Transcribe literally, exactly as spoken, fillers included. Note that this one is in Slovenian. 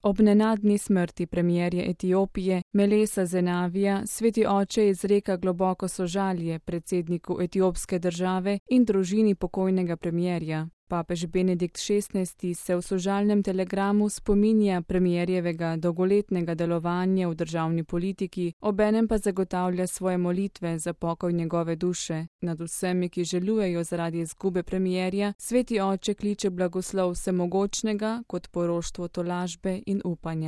Ob nenadni smrti premierja Etiopije Melesa Zenavija sveti oče izreka globoko sožalje predsedniku etiopske države in družini pokojnega premierja. Papež Benedikt šestnajsti se v sožalnem telegramu spominja premierjevega dolgoletnega delovanja v državni politiki, obenem pa zagotavlja svoje molitve za pokoj njegove duše. Nad vsemi, ki žalujejo zaradi izgube premierja, sveti oče kliče blagoslov vsemogočnega kot poroštvo tolažbe in upanja.